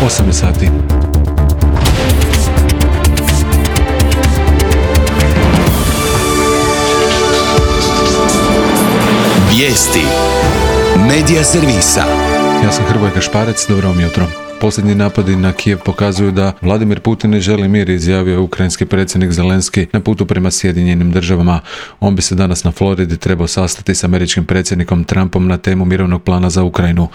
8 sati. Vijesti Medija servisa. Ja sam Hrvoje Gašparec, dobro vam jutro. Posljednji napadi na Kijev pokazuju da Vladimir Putin ne želi mir, izjavio je ukrajinski predsjednik Zelenski na putu prema Sjedinjenim državama. On bi se danas na Floridi trebao sastati s američkim predsjednikom Trumpom na temu mirovnog plana za Ukrajinu.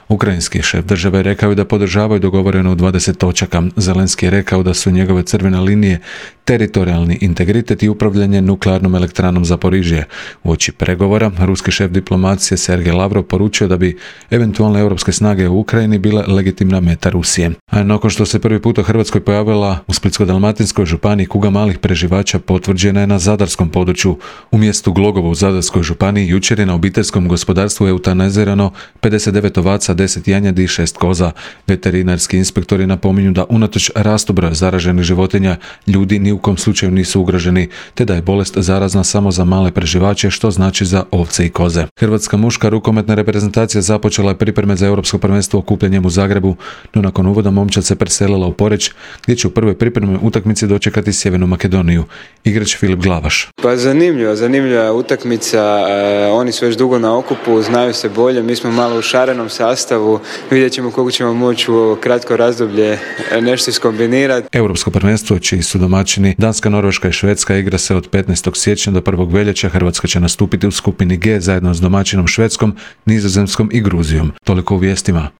Ukrajinski šef države rekao je da podržavaju dogovoreno u 20 točaka. Zelenski je rekao da su njegove crvene linije teritorijalni integritet i upravljanje nuklearnom elektranom Zaporižje. Uoči pregovora, ruski šef diplomacije Sergej Lavrov poručio da bi eventualne europske snage u Ukrajini bile legitimna meta Rusije. A nakon što se prvi put u Hrvatskoj pojavila u Splitsko-dalmatinskoj županiji kuga malih preživača, potvrđena je na zadarskom području. U mjestu Glogovo u Zadarskoj županiji jučer je na obiteljskom gospodarstvu eutanazirano 59 ovaca, 10 janjadi i 6 koza. Veterinarski inspektori napominju da unatoč rastu broja zaraženih životinja, ljudi ni u kom slučaju nisu ugroženi, te da je bolest zarazna samo za male preživače, što znači za ovce i koze. Hrvatska muška rukometna reprezentacija započela je pripreme za europsko prvenstvo okupljanjem u Zagrebu, no nakon uvoda momčad se preselila u Poreč, gdje će u prvoj pripremnoj utakmici dočekati Sjevernu Makedoniju. Igrač Filip Glavaš. Pa zanimljiva utakmica, oni su već dugo na okupu, znaju se bolje, mi smo malo u šarenom sastavu, vidjet ćemo koliko ćemo moći u ovo kratko razdoblje nešto iskombinirati. Europsko prvenstvo, čiji su domaćini Danska, Norveška i Švedska, igra se od 15. siječnja do 1. veljače. Hrvatska će nastupiti u skupini G zajedno s domaćinom Švedskom, Nizozemskom i Gruzijom. Toliko u vijestima.